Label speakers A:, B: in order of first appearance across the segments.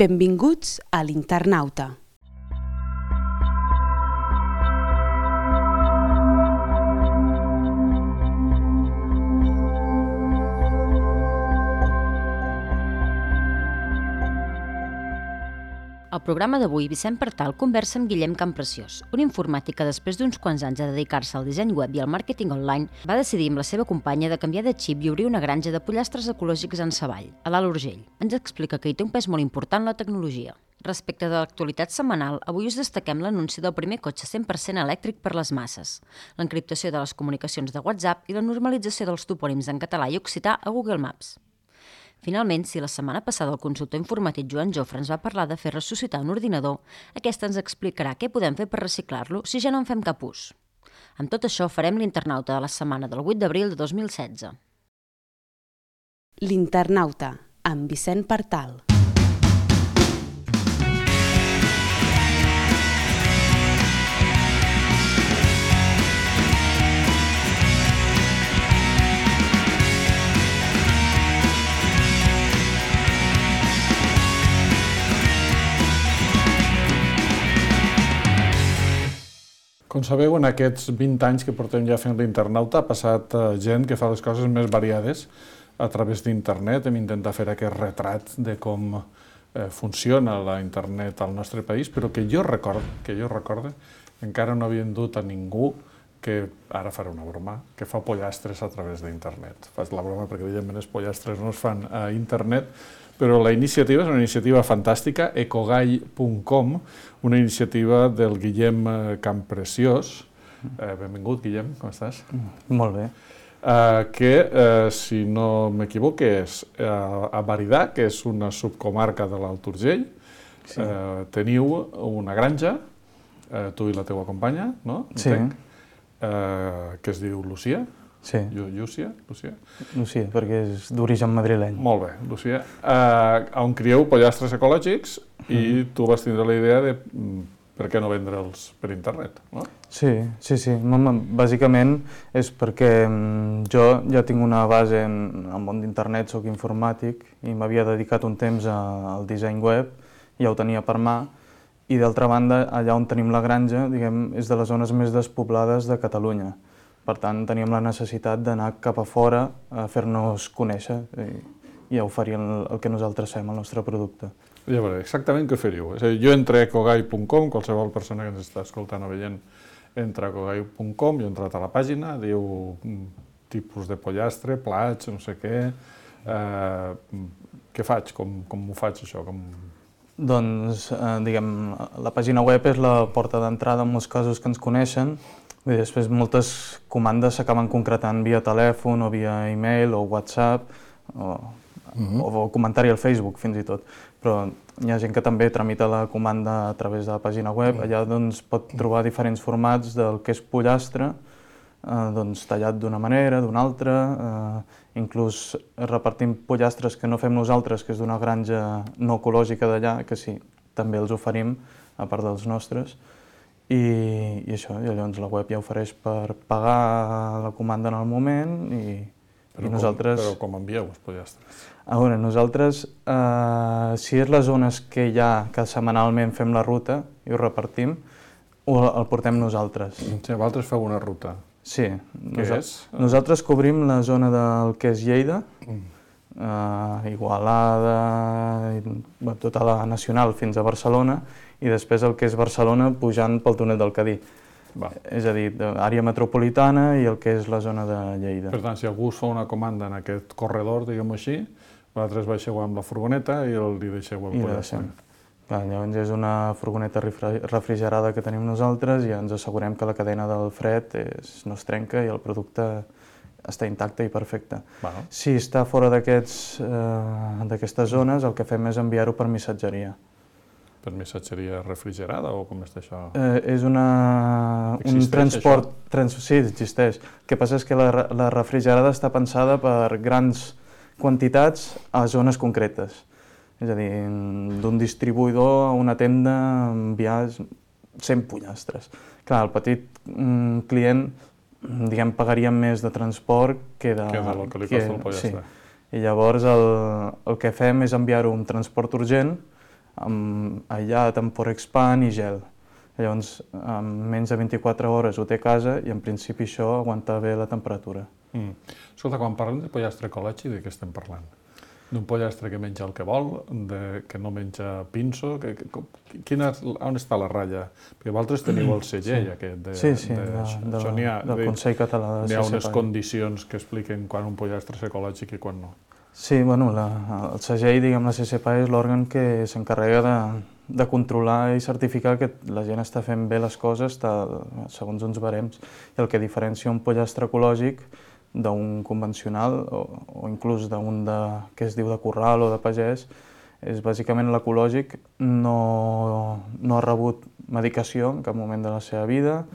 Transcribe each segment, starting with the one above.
A: Benvinguts a l'Internauta.
B: Al programa d'avui, Vicent Partal conversa amb Guillem Campreciós, un informàtic que després d'uns quants anys de dedicar-se al disseny web i al màrqueting online, va decidir amb la seva companya de canviar de xip i obrir una granja de pollastres ecològics en Savall, a l'Alt Urgell. Ens explica que hi té un pes molt important la tecnologia. Respecte de l'actualitat setmanal, avui us destaquem l'anunci del primer cotxe 100% elèctric per les masses, l'encriptació de les comunicacions de WhatsApp i la normalització dels topònims en català i occità a Google Maps. Finalment, si la setmana passada el consultor informàtic Joan Jofre ens va parlar de fer ressuscitar un ordinador, aquesta ens explicarà què podem fer per reciclar-lo si ja no en fem cap ús. Amb tot això, farem l'Internauta de la setmana del 8 d'abril de 2016.
A: L'Internauta, amb Vicent Partal.
C: Com sabeu, en aquests 20 anys que portem ja fent l'Internauta ha passat gent que fa les coses més variades a través d'internet. Hem intentat fer aquest retrat de com funciona la internet al nostre país, però que jo recorde, encara no havien dut a ningú que, ara faré una broma, que fa pollastres a través d'internet. Faig la broma perquè evidentment els pollastres no es fan a internet, però la iniciativa és una iniciativa fantàstica, ecogai.com, una iniciativa del Guillem Campreciós. Benvingut, Guillem, com estàs?
D: Molt bé.
C: Que, si no m'equivoco, és a Baridà, que és una subcomarca de l'Alt Urgell. Teniu una granja, tu i la teua companya, no?
D: Sí.
C: Que es diu Lucía.
D: Sí.
C: Llúcia,
D: perquè és d'origen madrileny.
C: Molt bé, Lucía. On crieu pollastres ecològics i tu vas tindre la idea de per què no vendre'ls per internet, no?
D: Sí. Bàsicament és perquè jo ja tinc una base en el món d'internet, soc informàtic i m'havia dedicat un temps al disseny web, ja ho tenia per mà, i d'altra banda, allà on tenim la granja, diguem, és de les zones més despoblades de Catalunya. Per tant, teníem la necessitat d'anar cap a fora a fer-nos conèixer i a oferir el que nosaltres fem, el nostre producte.
C: Ja veuré, exactament què feriu. És a dir, jo entro a ecogai.com, qualsevol persona que ens està escoltant o veient entra a ecogai.com, jo he entrat a la pàgina, diu tipus de pollastre, plats, no sé què. Què faig? Com ho faig, això?
D: Doncs, diguem, la pàgina web és la porta d'entrada en molts casos que ens coneixen. Després moltes comandes s'acaben concretant via telèfon o via e-mail o WhatsApp o comentari al Facebook fins i tot. Però hi ha gent que també tramita la comanda a través de la pàgina web. Allà doncs, pot trobar diferents formats del que és pollastre, tallat d'una manera, d'una altra. Inclús repartim pollastres que no fem nosaltres, que és d'una granja no ecològica d'allà, que sí, també els oferim, a part dels nostres. I això, llavors la web ja ofereix per pagar la comanda en el moment i nosaltres...
C: Però com envieu els pollastres?
D: A veure, nosaltres, si és les zones que hi ha, que setmanalment fem la ruta i ho repartim, el portem nosaltres.
C: Sí, vosaltres feu una ruta.
D: Sí.
C: Què és?
D: Nosaltres cobrim la zona del que és Lleida, Igualada, tota la nacional fins a Barcelona, i després el que és Barcelona pujant pel túnel del Cadí. És a dir, àrea metropolitana i el que és la zona de Lleida.
C: Per tant, si algú us fa una comanda en aquest corredor, diguem-ho així, vosaltres baixeu amb la furgoneta i li deixeu el pollastre.
D: Llavors és una furgoneta refrigerada que tenim nosaltres i ens assegurem que la cadena del fred no es trenca i el producte està intacte i perfecte. Si està fora d'aquestes zones, el que fem és enviar-ho per missatgeria.
C: Per missatgeria refrigerada o com és això?
D: És un transport... Sí, existeix. El que passa és que la refrigerada està pensada per grans quantitats a zones concretes. És a dir, d'un distribuïdor a una tenda enviar 100 pollastres. Clar, el petit client, diguem, pagaria més de transport que de...
C: Que del que li costa el pollastre.
D: I llavors el que fem és enviar-ho un transport urgent aïllat amb Porexpan i gel. Llavors, en menys de 24 hores ho té a casa i en principi això aguanta bé la temperatura.
C: Escolta, quan parlem de pollastre ecològic, de què estem parlant? D'un pollastre que menja el que vol, que no menja pinso? On està la ratlla? Perquè vosaltres teniu el segell aquest.
D: Del Consell Català de CCPAI.
C: N'hi ha unes condicions que expliquen quan un pollastre és ecològic i quan no.
D: Sí, bueno, el segell, diguem, la CCPAI és l'òrgan que s'encarrega de controlar i certificar que la gent està fent bé les coses segons uns barems. I el que diferencia un pollastre ecològic d'un convencional o inclús d'un que es diu de corral o de pagès és bàsicament l'ecològic no ha rebut medicació en cap moment de la seva vida,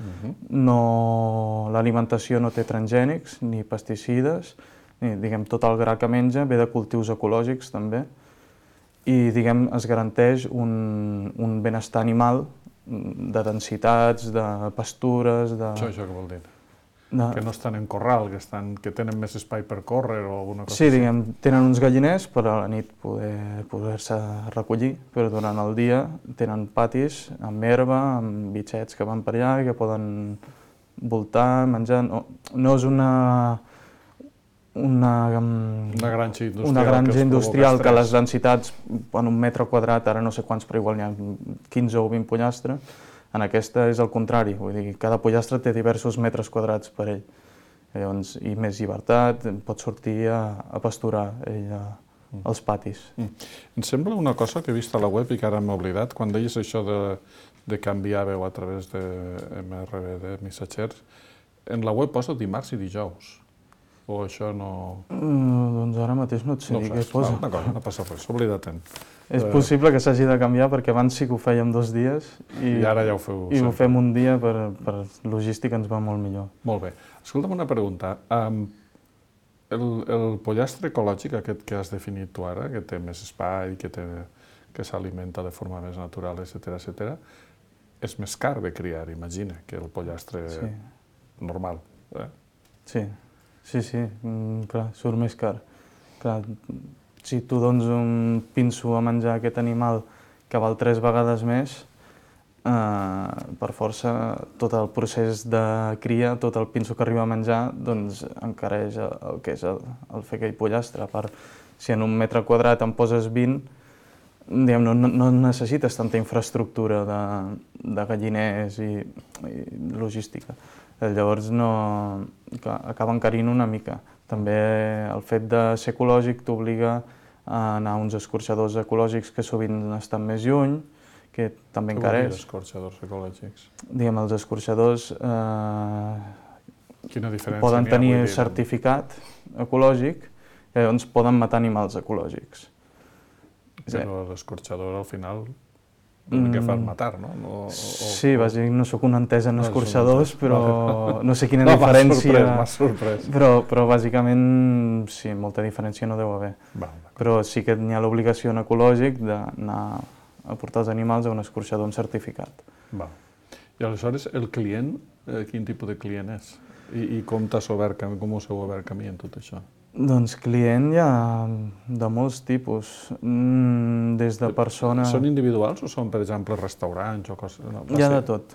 D: l'alimentació no té transgènics ni pesticides, diguem, tot el gra que menja ve de cultius ecològics també i diguem, es garanteix un benestar animal de densitats, de pastures...
C: Això què vol dir? Que no estan en corral, que tenen més espai per córrer o alguna cosa
D: així? Sí, diguem, tenen uns galliners per a la nit poder-se recollir, però durant el dia tenen patis amb herba, amb bitxets que van per allà i que poden voltar, menjar... No és una granja industrial que les densitats en un metre quadrat, ara no sé quants, però igual n'hi ha 15 o 20 pollastres. En aquesta és el contrari, vull dir, cada pollastre té diversos metres quadrats per ell. Llavors, i més llibertat, pot sortir a pasturar ell als patis.
C: Em sembla una cosa que he vist a la web i que ara m'he oblidat, quan deies això de canviar veu a través de MRV, missatgers, en la web posa dimarts i dijous. O això no...
D: Doncs ara mateix no et sé dir què posa.
C: No passa res, oblida-te'n.
D: És possible que s'hagi de canviar perquè abans sí que ho fèiem 2 dies
C: i ara ja ho feu.
D: I ho fem un dia per logística ens va molt millor.
C: Molt bé. Escolta'm una pregunta. El pollastre ecològic, aquest que has definit tu ara, que té més espai, que s'alimenta de forma més natural, etc., és més car de criar, imagina, que el pollastre normal.
D: Sí, clar, surt més car. Clar, si tu dones un pinso a menjar a aquest animal que val 3 vegades més, per força tot el procés de cria, tot el pinso que arriba a menjar, doncs encareix el que és el fer aquell pollastre. A part, si en un metre quadrat en poses 20, diguem, no necessites tanta infraestructura de galliners i logística. Llavors acaba encarint una mica. També el fet de ser ecològic t'obliga a anar a uns escorxadors ecològics que sovint estan més lluny, que també encareix.
C: Què vol dir escorxadors ecològics?
D: Diguem, els escorxadors
C: Quina diferència
D: poden tenir certificat ecològic i llavors poden matar animals ecològics.
C: Però l'escorxador al final l'únic que fa és matar, no?
D: Sí, bàsicament no sóc un entès en escorxadors, però no sé quina diferència...
C: M'ha sorprès.
D: Però bàsicament sí, molta diferència no deu haver. Però sí que n'hi ha l'obligació en ecològic d'anar a portar els animals a un escorxador amb certificat.
C: I aleshores el client, quin tipus de client és? I com us heu obert camí en tot això?
D: Doncs client hi ha de molts tipus, des de persones...
C: Són individuals o són, per exemple, restaurants o coses?
D: Hi ha de tot.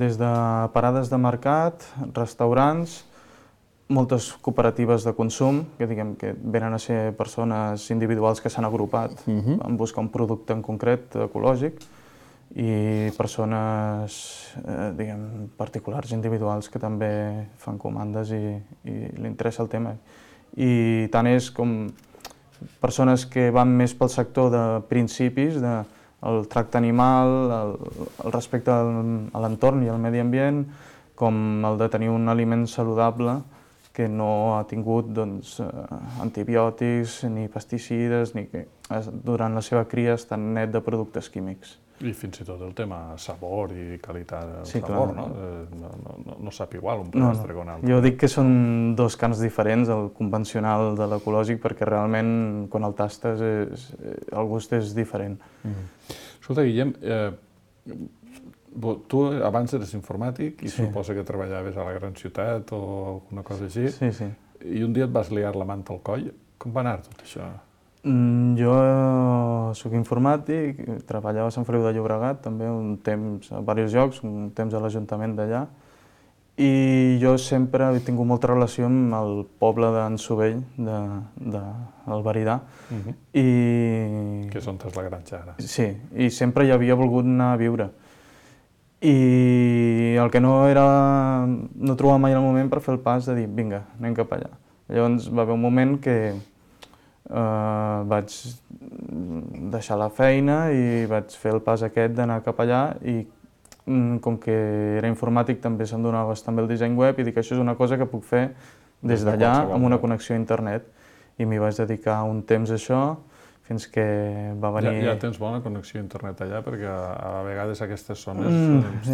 D: Des de parades de mercat, restaurants, moltes cooperatives de consum, que diguem que venen a ser persones individuals que s'han agrupat en buscar un producte en concret ecològic, i persones, diguem, particulars individuals que també fan comandes i li interessa el tema. I tant és com persones que van més pel sector de principis, el tracte animal, el respecte a l'entorn i al medi ambient, com el de tenir un aliment saludable que no ha tingut antibiòtics ni pesticides, ni que durant la seva cria està net de productes químics.
C: I fins i tot el tema sabor i qualitat del sabor, no? No sap igual un pollastre que un altre.
D: Jo dic que són 2 camps diferents, el convencional de l'ecològic, perquè realment quan el tastes el gust és diferent.
C: Escolta, Guillem, tu abans eres informàtic i suposa que treballaves a la gran ciutat o alguna cosa així.
D: Sí.
C: I un dia et vas liar la manta al coll. Com va anar tot això?
D: Jo soc informàtic, treballava a Sant Feliu de Llobregat també un temps a diversos llocs, un temps a l'Ajuntament d'allà, i jo sempre he tingut molta relació amb el poble d'en Sovell, del Veridà.
C: Que és on és la granja ara.
D: Sí, i sempre hi havia volgut anar a viure. I el que no trobava mai el moment per fer el pas de dir, vinga, anem cap allà. Llavors va haver un moment que vaig deixar la feina i vaig fer el pas aquest d'anar cap allà i com que era informàtic també se'm donava bastant bé el disseny web i dic això és una cosa que puc fer des d'allà amb una connexió a internet i m'hi vaig dedicar un temps a això fins que va venir...
C: Ja tens bona connexió a internet allà perquè a vegades aquestes zones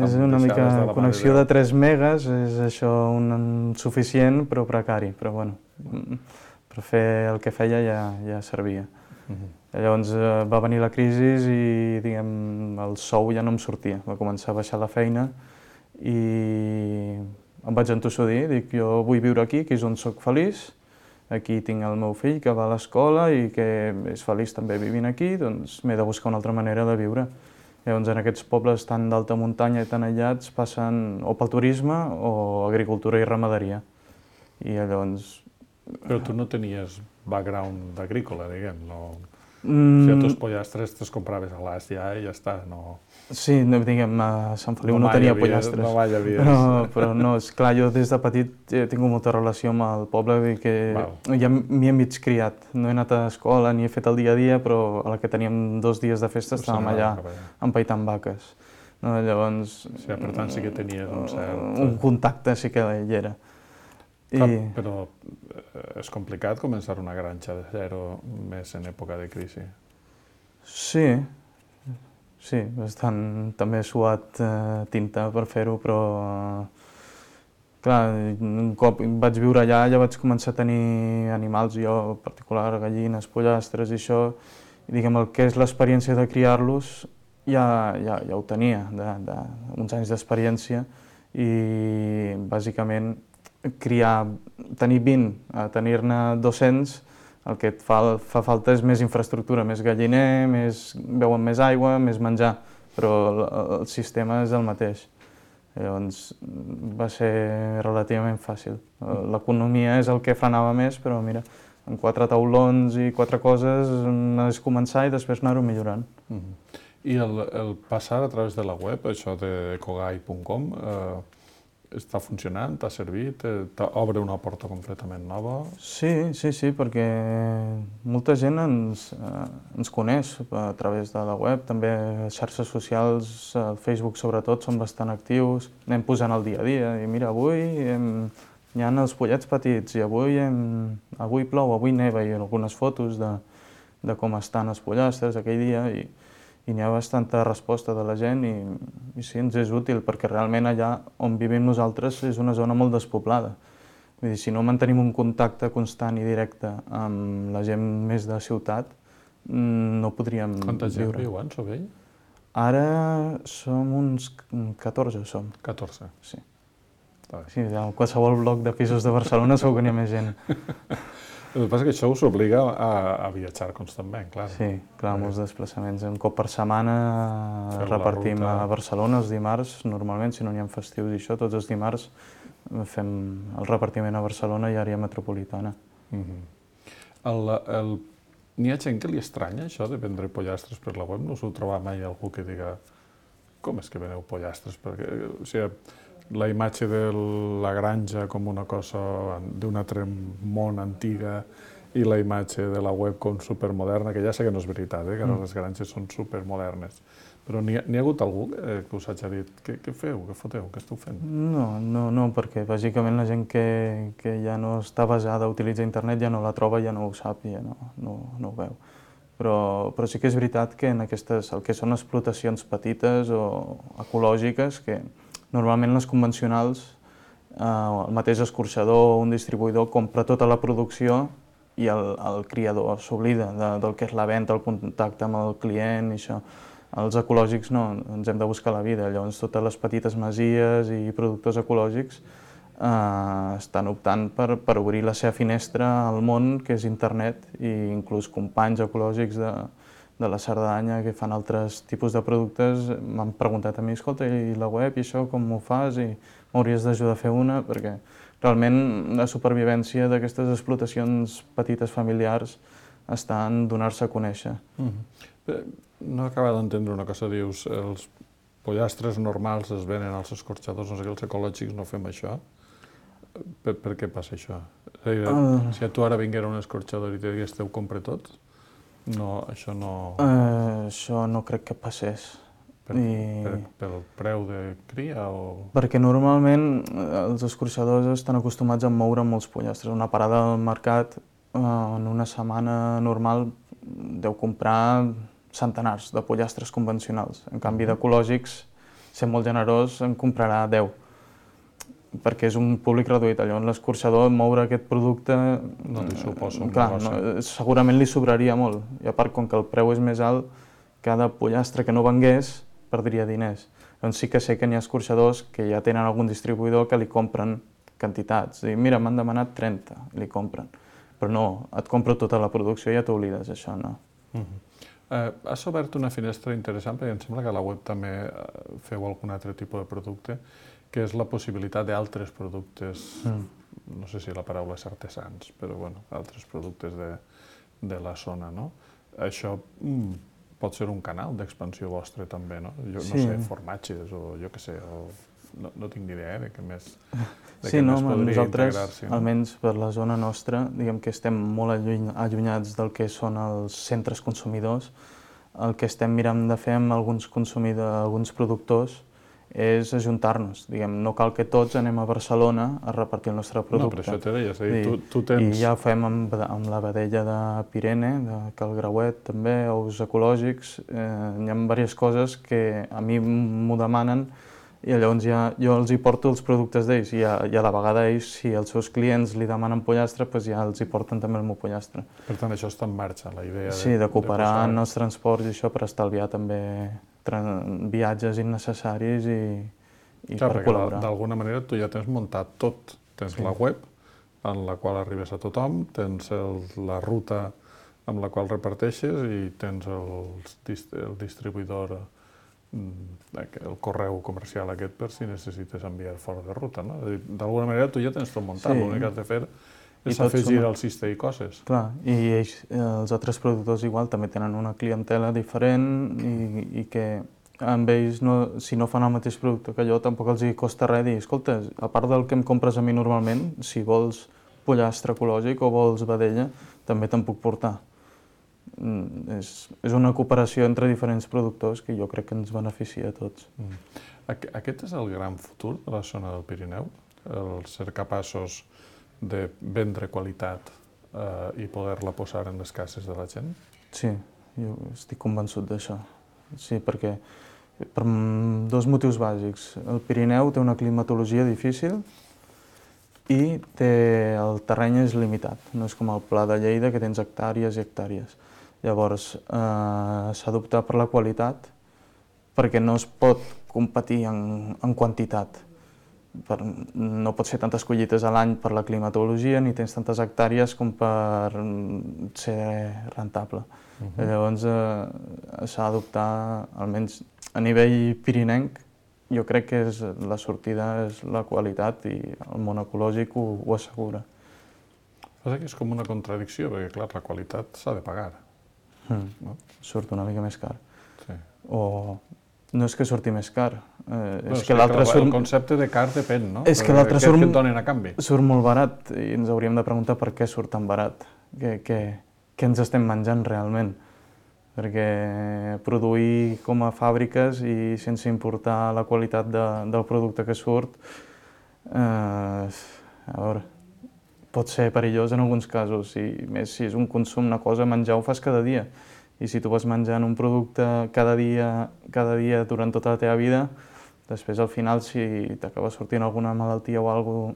D: és una mica connexió de 3 megas, és això suficient però precari, però bueno, per fer el que feia ja servia. Llavors va venir la crisi i diguem, el sou ja no em sortia, va començar a baixar la feina i em vaig entossudir, dic jo vull viure aquí, que és on soc feliç, aquí tinc el meu fill que va a l'escola i que és feliç també vivint aquí, doncs m'he de buscar una altra manera de viure. Llavors en aquests pobles tan d'alta muntanya i tan aïllats passen o pel turisme o agricultura i ramaderia. I llavors...
C: Però tu no tenies background agrícola, diguem, no... Si a tus pollastres te'ls compraves a l'as ja i ja està, no...
D: Sí, diguem, a Sant Feliu no tenia pollastres.
C: No mai havies...
D: Però no, esclar, jo des de petit he tingut molta relació amb el poble, vull dir que ja m'hi he mig criat. No he anat a escola ni he fet el dia a dia, però a la que teníem 2 dies de festa estàvem allà empaitant vaques. Llavors...
C: Sí, per tant sí que tenies un cert...
D: Un contacte sí que hi era.
C: Però és complicat començar una granja de zero més en època de crisi.
D: Sí, bastant. També he suat tinta per fer-ho, però clar, un cop vaig viure allà ja vaig començar a tenir animals, jo en particular gallines, pollastres i això, i diguem el que és l'experiència de criar-los ja ho tenia, uns anys d'experiència i bàsicament tenir 20 a tenir-ne 200, el que et fa falta és més infraestructura, més galliner, beuen més aigua, més menjar, però el sistema és el mateix. Llavors va ser relativament fàcil. L'economia és el que frenava més, però mira, amb 4 taulons i 4 coses és començar i després anar-ho millorant.
C: I el passar a través de la web, això de kogai.com, està funcionant? T'ha servit? T'obre una porta completament nova?
D: Sí, perquè molta gent ens coneix a través de la web. També les xarxes socials, el Facebook sobretot, són bastant actius. Anem posant el dia a dia i mira, avui hi ha els pollets petits i avui plou, avui neva i algunes fotos de com estan els pollastres aquell dia i n'hi ha bastanta resposta de la gent i sí, ens és útil perquè realment allà on vivim nosaltres és una zona molt despoblada. Vull dir, si no mantenim un contacte constant i directe amb la gent més de ciutat, no podríem viure.
C: Quanta gent viu a Sovell?
D: Ara som uns 14, som.
C: 14?
D: Sí. Sí, a qualsevol bloc de pisos de Barcelona segur que n'hi ha més gent.
C: El que passa és que això us obliga a viatjar constantment, clar.
D: Sí, clar, molts desplaçaments. Un cop per setmana repartim a Barcelona els dimarts, normalment, si no n'hi ha festius i això, tots els dimarts fem el repartiment a Barcelona i àrea metropolitana.
C: N'hi ha gent que li estranya això de vendre pollastres per la web? No us heu trobat mai algú que diga com és que veneu pollastres? Perquè, la imatge de la granja com una cosa d'un altre món antiga i la imatge de la web com supermoderna, que ja sé que no és veritat, que ara les granges són supermodernes. Però n'hi ha hagut algú que us hagi dit què feu, què foteu, què esteu fent?
D: No, perquè bàsicament la gent que ja no està basada a utilitzar internet ja no la troba, ja no ho sap, ja no ho veu. Però sí que és veritat que en aquestes, el que són explotacions petites o ecològiques, que normalment les convencionals, el mateix escorxador o un distribuïdor compra tota la producció i el criador s'oblida del que és la venda, el contacte amb el client i això. Els ecològics no, ens hem de buscar la vida, llavors totes les petites masies i productors ecològics estan optant per obrir la seva finestra al món, que és internet, i inclús companys ecològics la Cerdanya, que fan altres tipus de productes, m'han preguntat a mi, escolta, i la web i això, com ho fas? I m'hauries d'ajudar a fer una, perquè realment la supervivència d'aquestes explotacions petites familiars està en donar-se a conèixer.
C: No acaba d'entendre una cosa, dius, els pollastres normals es venen als escorxadors, no sé què, els ecològics no fem això. Per què passa això? Si a tu ara vinguera un escorxador i te digués ho compre tot, això no...
D: Això no crec que passés.
C: Pel preu de cria o...?
D: Perquè normalment els escorxadors estan acostumats a moure molts pollastres. Una parada al mercat en una setmana normal deu comprar centenars de pollastres convencionals. En canvi, d'ecològics, ser molt generós, en comprarà 10. Perquè és un públic reduït. Llavors l'escorxador moure aquest producte...
C: No li suposa un
D: negoci. Segurament li sobraria molt. I a part, com que el preu és més alt, cada pollastre que no vengués perdria diners. Doncs sí que sé que n'hi ha escorxadors que ja tenen algun distribuïdor que li compren quantitats. Dic, mira, m'han demanat 30, i li compren. Però no, et compro tota la producció i ja t'oblides, això no.
C: Has obert una finestra interessant, perquè em sembla que a la web també feu algun altre tipus de producte, que és la possibilitat d'altres productes, no sé si la paraula és artesans, però bueno, altres productes de la zona, no? Això pot ser un canal d'expansió vostre també, no? Jo no sé, formatges o jo què sé, no tinc ni idea de què més podria integrar-s'hi.
D: Nosaltres, almenys per la zona nostra, diguem que estem molt allunyats del que són els centres consumidors. El que estem mirant de fer amb alguns productors és ajuntar-nos. No cal que tots anem a Barcelona a repartir el nostre producte.
C: No, però això t'he deia, és a dir, tu tens...
D: I ja ho fem amb la vedella de Pirene, de Cal Grauet també, ous ecològics. Hi ha diverses coses que a mi m'ho demanen i llavors jo els hi porto els productes d'ells i a la vegada ells, si els seus clients li demanen pollastre, ja els hi porten també el meu pollastre.
C: Per tant, això està en marxa, la idea
D: de... Sí, de cooperar en els transports i això per estalviar també viatges innecessaris i per col·laborar.
C: D'alguna manera tu ja tens muntat tot. Tens la web, en la qual arribes a tothom, tens la ruta amb la qual reparteixes i tens el distribuïdor, el correu comercial aquest per si necessites enviar fora de ruta. D'alguna manera tu ja tens tot muntat, l'únic que has de fer és afegir al cistell coses.
D: Clar, i els altres productors igual també tenen una clientela diferent i que amb ells, si no fan el mateix producte que jo, tampoc els hi costa res dir, escolta, a part del que em compres a mi normalment, si vols pollastre ecològic o vols vedella, també te'n puc portar. És una cooperació entre diferents productors que jo crec que ens beneficia a tots.
C: Aquest és el gran futur de la zona del Pirineu? El ser capaços de vendre qualitat i poder-la posar en les cases de la gent?
D: Sí, jo estic convençut d'això. Sí, perquè per dos motius bàsics. El Pirineu té una climatologia difícil i el terreny és limitat. No és com el Pla de Lleida, que tens hectàrees i hectàrees. Llavors, s'ha d'optar per la qualitat perquè no es pot competir en quantitat. No pots fer tantes collites a l'any per la climatologia ni tens tantes hectàrees com per ser rentable. Llavors s'ha d'adoptar, almenys a nivell pirinenc, jo crec que la sortida és la qualitat i el món ecològic ho assegura.
C: Passa que és com una contradicció, perquè clar, la qualitat s'ha de pagar.
D: Surt una mica més car.
C: Sí.
D: O no és que surti més car.
C: El concepte de car depèn, no?
D: És que l'altre
C: surt
D: molt barat i ens hauríem de preguntar per què surt tan barat. Què ens estem menjant realment? Perquè produir com a fàbriques i sense importar la qualitat del producte que surt, pot ser perillós en alguns casos, i més si és un consum, una cosa, menjar ho fas cada dia. I si tu vas menjant un producte cada dia durant tota la teva vida, després al final si t'acaba sortint alguna malaltia o alguna cosa,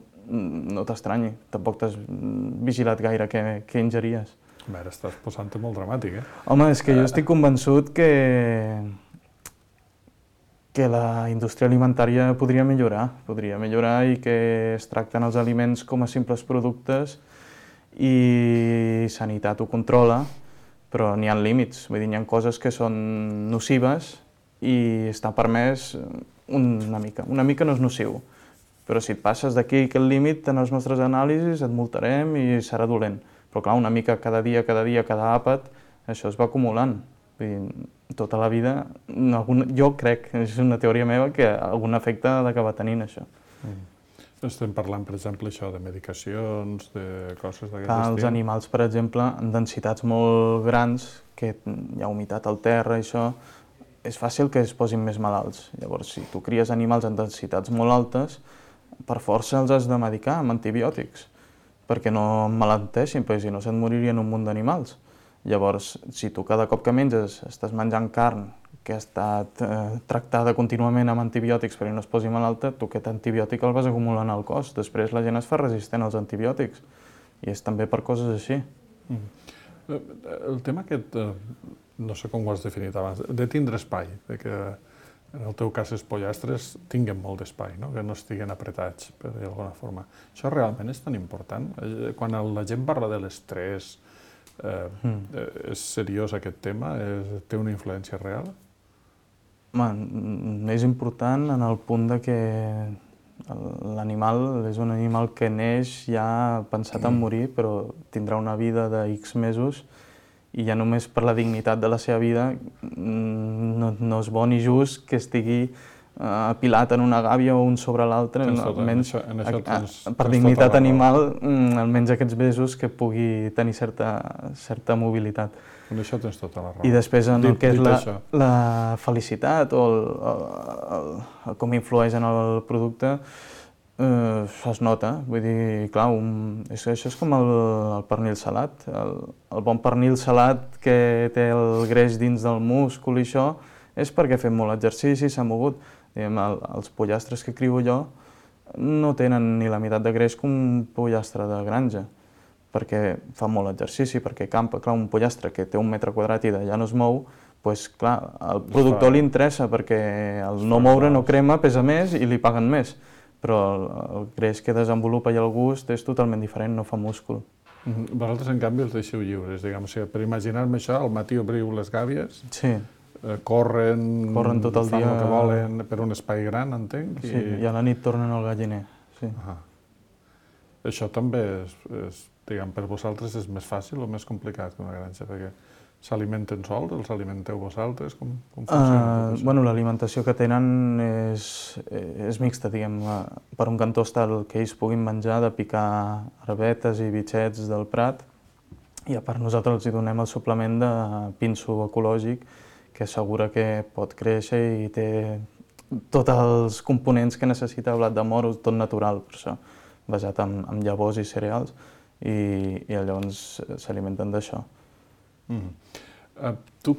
D: no t'estranyi. Tampoc t'has vigilat gaire què ingeries.
C: A veure, estàs posant-te molt dramàtic,
D: Home, és que jo estic convençut que la indústria alimentària podria millorar i que es tracten els aliments com a simples productes i Sanitat ho controla però n'hi ha límits, vull dir, n'hi ha coses que són nocives i està permès una mica. Una mica no és nociu, però si et passes d'aquí aquest límit en els nostres anàlisis et multarem i serà dolent. Però clar, una mica cada dia, cada àpat, això es va acumulant. Vull dir, tota la vida, jo crec, és una teoria meva, que algun efecte ha d'acabar tenint això.
C: Estem parlant, per exemple, això de medicacions, de coses d'aquest
D: estil. Els animals, per exemple, en densitats molt grans, que hi ha humitat al terra i això, és fàcil que es posin més malalts. Llavors, si tu cries animals en densitats molt altes, per força els has de medicar amb antibiòtics, perquè no emmalalteixin, perquè si no se'n moririen un munt d'animals. Llavors, si tu cada cop que menges estàs menjant carn que ha estat tractada contínuament amb antibiòtics perquè no es posi malalta, tu aquest antibiòtic el vas acumulant al cos. Després la gent es fa resistent als antibiòtics i és també per coses així.
C: El tema aquest, no sé com ho has definit abans, de tindre espai, de que en el teu cas els pollastres tinguen molt d'espai, no? Que no estiguen apretats, per dir d'alguna forma. Això realment és tan important? Quan la gent parla de l'estrès, és seriós aquest tema? Té una influència real?
D: És important en el punt de que l'animal és un animal que neix ja pensat en morir, però tindrà una vida de X mesos i ja només per la dignitat de la seva vida no és bo ni just que estigui apilat en una gàbia o un sobre l'altre. Almenys per dignitat animal, almenys aquests mesos que pugui tenir certa mobilitat.
C: En això tens tota la raó.
D: I després en el que és la felicitat o com influeix en el producte, es nota. Vull dir, clar, això és com el pernil salat. El bon pernil salat que té el greix dins del múscul i això és perquè ha fet molt exercici, s'ha mogut. Els pollastres que crio jo no tenen ni la meitat de greix que un pollastre de granja, perquè fa molt exercici, perquè campa. Clar, un pollastre que té 1 metre quadrat i d'allà no es mou, doncs clar, al productor li interessa perquè el no moure no crema, pesa més i li paguen més, però el greix que desenvolupa i el gust és totalment diferent, no fa múscul.
C: Vosaltres, en canvi, els deixeu lliures, diguem. Per imaginar-me això, al matí obriu les gàbies, corren
D: tot el dia,
C: fan el que volen per un espai gran, entenc.
D: Sí, i a la nit tornen al galliner.
C: Això també diguem, per vosaltres és més fàcil o més complicat que una granja? Perquè s'alimenten sols, els alimenteu vosaltres? Com funciona tot això?
D: L'alimentació que tenen és mixta, diguem. Per un cantó està el que ells puguin menjar, de picar arbetes i bitxets del prat, i a part nosaltres els donem el suplement de pinso ecològic, que assegura que pot créixer i té tots els components que necessita el blat de moro, tot natural, per això, basat en llavors i cereals, i llavors s'alimenten d'això.
C: Tu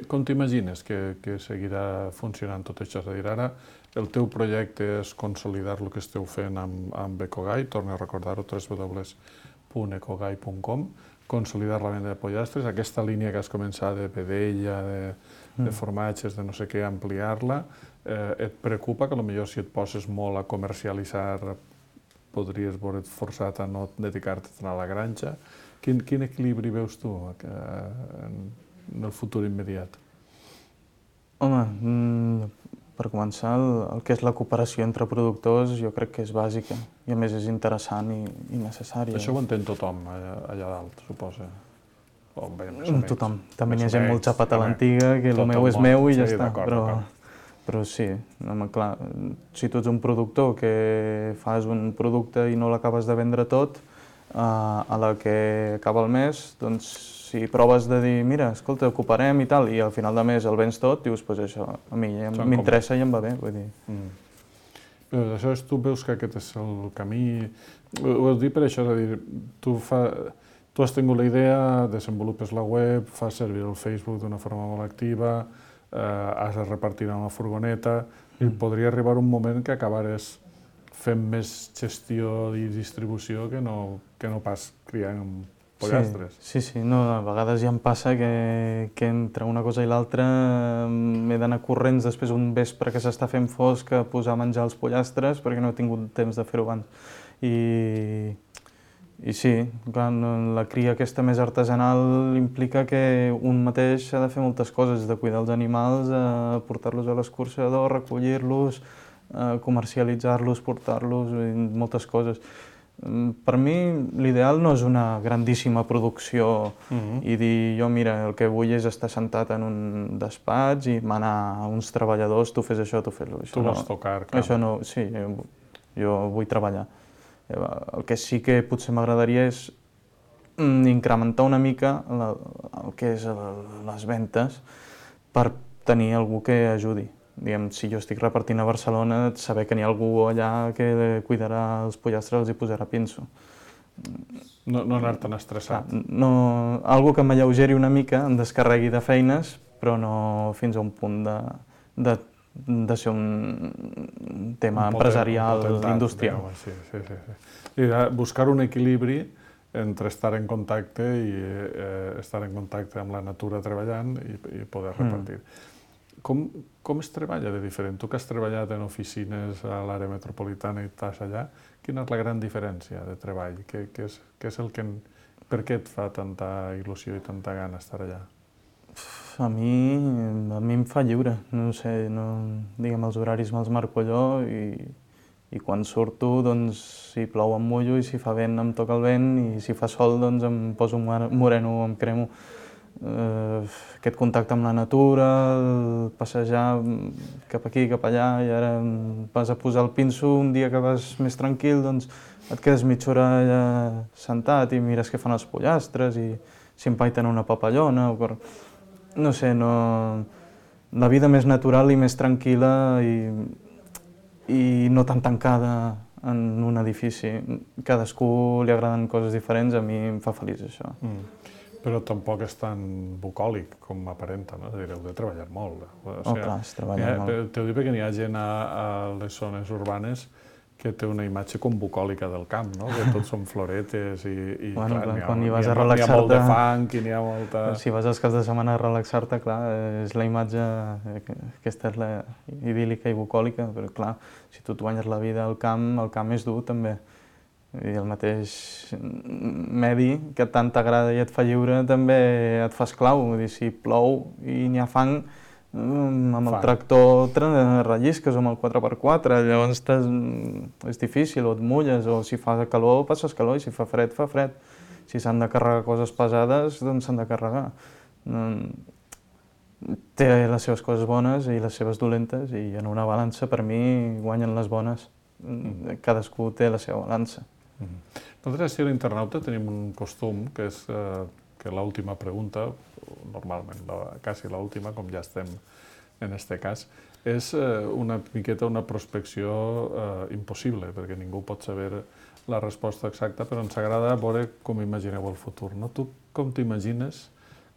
C: com t'imagines que seguirà funcionant tot això? És a dir, ara el teu projecte és consolidar el que esteu fent amb Ecogai, torno a recordar-ho, www.ecogai.com, consolidar la venda de pollastres, aquesta línia que has començat de vedella, de formatges, de no sé què, ampliar-la, et preocupa que potser si et poses molt a comercialitzar podries veure't forçat a no dedicar-te tant a la granja? Quin equilibri veus tu en el futur immediat?
D: Home, per començar, el que és la cooperació entre productors jo crec que és bàsica i a més és interessant i necessària.
C: Això ho entén tothom allà dalt, suposa?
D: Tothom. També hi ha gent molt xapat a l'antiga, que el meu és meu i ja està. Però sí, clar, si tu ets un productor que fas un producte i no l'acabes de vendre tot, a la que acaba el mes, doncs si proves de dir, mira, escolta, ocuparem i tal, i al final de mes el vens tot, dius, doncs això, a mi m'interessa i em va bé, vull dir.
C: Però aleshores tu veus que aquest és el camí... Ho dic per això, és a dir, tu has tingut la idea, desenvolupes la web, fas servir el Facebook d'una forma molt activa, has de repartir en una furgoneta, i podria arribar un moment que acabares fent més gestió i distribució que no pas criant pollastres.
D: Sí, a vegades ja em passa que entre una cosa i l'altra m'he d'anar corrents després un vespre que s'està fent fosc a posar a menjar els pollastres perquè no he tingut temps de fer-ho abans. I sí, clar, la cria aquesta més artesanal implica que un mateix ha de fer moltes coses, de cuidar els animals, portar-los a l'escorxador, recollir-los, comercialitzar-los, portar-los, moltes coses. Per mi l'ideal no és una grandíssima producció i dir jo mira, el que vull és estar sentat en un despatx i manar uns treballadors, tu fes això, tu fes això.
C: Tu vols tocar, clar.
D: Això no, sí, jo vull treballar. El que sí que potser m'agradaria és incrementar una mica el que és les ventes per tenir algú que ajudi. Diguem, si jo estic repartint a Barcelona, saber que n'hi ha algú allà que cuidarà els pollastres, els hi posarà pinso.
C: No anar tan estressat.
D: Algo que m'alleugeri una mica, em descarregui de feines, però no fins a un punt de ser un tema empresarial, industrial.
C: Sí. I buscar un equilibri entre estar en contacte amb la natura treballant i poder repartir. Com es treballa de diferent? Tu que has treballat en oficines a l'àrea metropolitana i estàs allà, quina és la gran diferència de treball? Per què et fa tanta il·lusió i tanta gana estar allà?
D: A mi em fa lliure, no sé, diguem, els horaris me'ls marco jo i quan surto, doncs, si plou em mullo i si fa vent em toca el vent i si fa sol, doncs em poso moreno o em cremo. Aquest contacte amb la natura, passejar cap aquí, cap allà i ara vas a posar el pinso, un dia que vas més tranquil, doncs et quedes mitja hora allà sentat i mires què fan els pollastres i si empaiten una papallona o no sé, la vida més natural i més tranquil·la i no tan tancada en un edifici. Cadascú li agraden coses diferents, a mi em fa feliç això.
C: Però tampoc és tan bucòlic com aparenta, no? És a dir, heu de treballar molt.
D: Clar, es treballa molt.
C: T'ho dic perquè n'hi ha gent a les zones urbanes que té una imatge com bucòlica del camp, no? Que tots són floretes i
D: quan hi vas
C: n'hi
D: a
C: ha
D: relaxar-te...
C: molt de fang i n'hi ha molta...
D: Si vas als caps de setmana a relaxar-te, clar, és la imatge, aquesta és la idíl·lica i bucòlica, però clar, si tu et guanyes la vida al camp és dur també. I el mateix medi que tant t'agrada i et fa lliure també et fa esclau. Vull dir, si plou i n'hi ha fang, amb el tractor rellisques o amb el 4x4, llavors és difícil, o et mulles, o si fa calor passes calor i si fa fred, fa fred. Si s'han de carregar coses pesades, doncs s'han de carregar. Té les seves coses bones i les seves dolentes i en una balança per mi guanyen les bones. Cadascú té la seva balança.
C: Nosaltres, a l'Internauta, tenim un costum que és que l'última pregunta, normalment quasi l'última, com ja estem en aquest cas, és una miqueta una prospecció impossible, perquè ningú pot saber la resposta exacta, però ens agrada veure com imagineu el futur. Tu com t'imagines,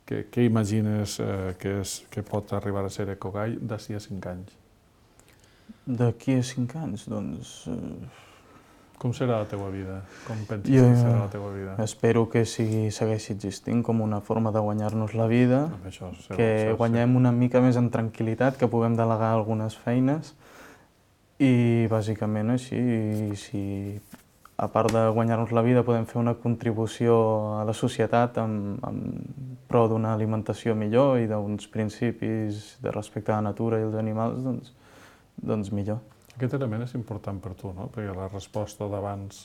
C: què imagines que pot arribar a ser Ecogai d'ací a 5 anys?
D: D'aquí a 5 anys, doncs...
C: Com serà la teva vida? Com penses que serà la teva vida?
D: Espero que segueixi existint com una forma de guanyar-nos la vida, que guanyem una mica més en tranquil·litat, que puguem delegar algunes feines i bàsicament així, si a part de guanyar-nos la vida podem fer una contribució a la societat en pro d'una alimentació millor i d'uns principis de respecte a la natura i els animals, doncs millor.
C: Aquest element és important per tu, no? Perquè la resposta d'abans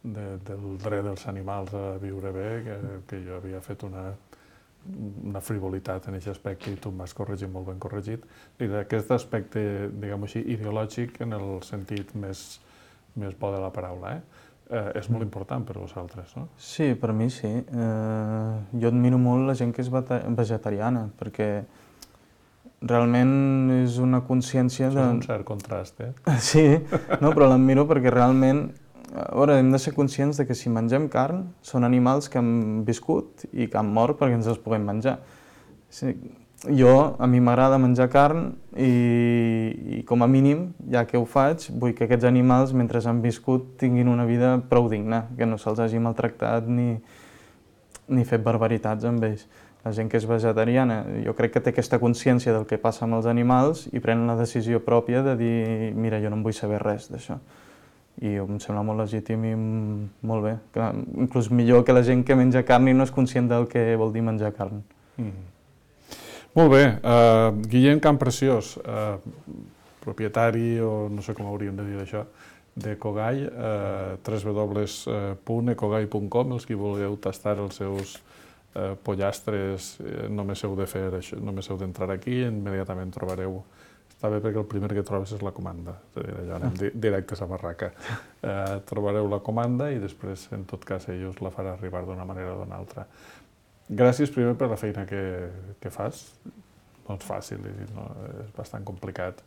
C: del dret dels animals a viure bé, que jo havia fet una frivolitat en aquest aspecte i tu em vas corregir molt ben corregit, i d'aquest aspecte, diguem-ho així, ideològic en el sentit més bo de la paraula, és molt important per vosaltres, no?
D: Sí, per mi sí. Jo admiro molt la gent que és vegetariana, perquè realment és una consciència de...
C: És un cert contrast,
D: Sí, no, però l'admiro perquè realment... A veure, hem de ser conscients de que si mengem carn són animals que han viscut i que han mort perquè ens els puguem menjar. A mi m'agrada menjar carn i com a mínim, ja que ho faig, vull que aquests animals, mentre han viscut, tinguin una vida prou digna, que no se'ls hagi maltractat ni fet barbaritats amb ells. La gent que és vegetariana, jo crec que té aquesta consciència del que passa amb els animals i pren la decisió pròpia de dir, mira, jo no en vull saber res d'això. i em sembla molt legítim i molt bé. Inclús millor que la gent que menja carn i no és conscient del que vol dir menjar carn.
C: Molt bé. Guillem Campreciós, propietari, o no sé com hauríem de dir això, de Ecogai, www.ecogai.com, els qui vulgueu tastar els seus pollastres, només heu de fer això, només heu d'entrar aquí i immediatament trobareu. Està bé perquè el primer que trobes és la comanda, allò anem directes a barraca. Trobareu la comanda i després, en tot cas, ell us la farà arribar d'una manera o d'una altra. Gràcies primer per la feina que fas. No és fàcil, és bastant complicat.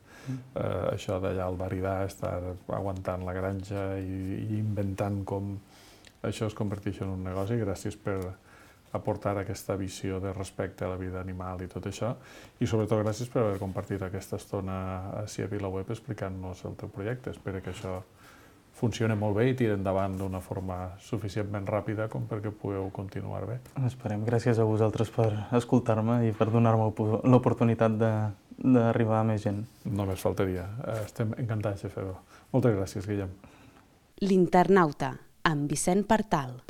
C: Això d'allà al Baridà, estar aguantant la granja i inventant com això es converteix en un negoci. Gràcies per aportar aquesta visió de respecte a la vida animal i tot això. I sobretot gràcies per haver compartit aquesta estona ací a VilaWeb explicant-nos el teu projecte. Espero que això funcioni molt bé i tiri endavant d'una forma suficientment ràpida com perquè pugueu continuar bé.
D: Esperem. Gràcies a vosaltres per escoltar-me i per donar-me l'oportunitat d'arribar a més gent.
C: Només faltaria. Estem encantats de fer-ho. Moltes gràcies, Guillem.
A: L'Internauta, amb Vicent Partal.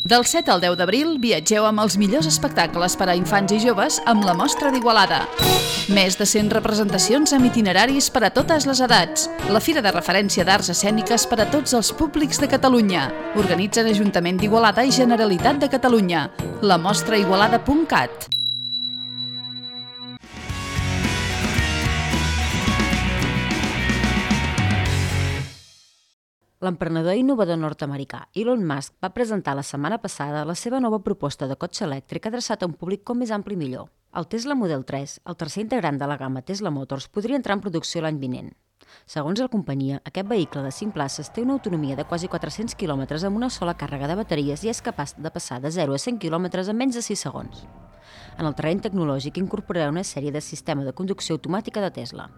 E: Del 7 al 10 d'abril viatgeu amb els millors espectacles per a infants i joves amb la Mostra d'Igualada. Més de 100 representacions amb itineraris per a totes les edats. La fira de referència d'arts escèniques per a tots els públics de Catalunya. Organitzen Ajuntament d'Igualada i Generalitat de Catalunya. lamostraigualada.cat.
B: L'emprenedor i innovador nord-americà Elon Musk va presentar la setmana passada la seva nova proposta de cotxe elèctric adreçat a un públic com més ampli millor. El Tesla Model 3, el tercer integrant de la gamma Tesla Motors, podria entrar en producció l'any vinent. Segons la companyia, aquest vehicle de 5 places té una autonomia de quasi 400 km amb una sola càrrega de bateries i és capaç de passar de 0 a 100 km en menys de 6 segons. En el terreny tecnològic incorporarà una sèrie de sistema de conducció automàtica de Tesla.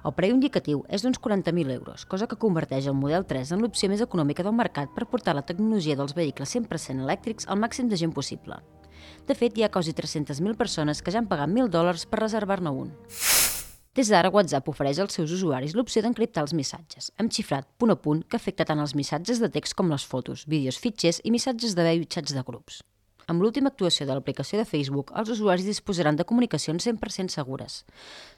B: El preu indicatiu és d'uns 40.000 euros, cosa que converteix el Model 3 en l'opció més econòmica del mercat per portar la tecnologia dels vehicles 100% elèctrics al màxim de gent possible. De fet, hi ha quasi 300.000 persones que ja han pagat $1.000 per reservar-ne un. Des d'ara, WhatsApp ofereix als seus usuaris l'opció d'encriptar els missatges, amb xifrat punt a punt que afecta tant els missatges de text com les fotos, vídeos, fitxers i missatges de veu i xats de grups. Amb l'última actuació de l'aplicació de Facebook, els usuaris disposaran de comunicacions 100% segures,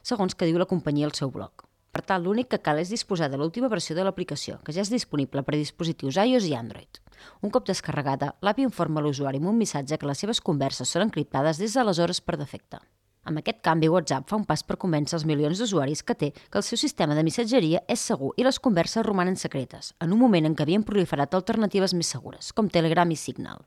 B: segons que diu la companyia al seu blog. Per tant, l'únic que cal és disposar de l'última versió de l'aplicació, que ja és disponible per a dispositius iOS i Android. Un cop descarregada, l'app informa l'usuari amb un missatge que les seves converses són encriptades des d'aleshores per defecte. Amb aquest canvi, WhatsApp fa un pas per convèncer els milions d'usuaris que té que el seu sistema de missatgeria és segur i les converses romanen secretes, en un moment en què havien proliferat alternatives més segures, com Telegram i Signal.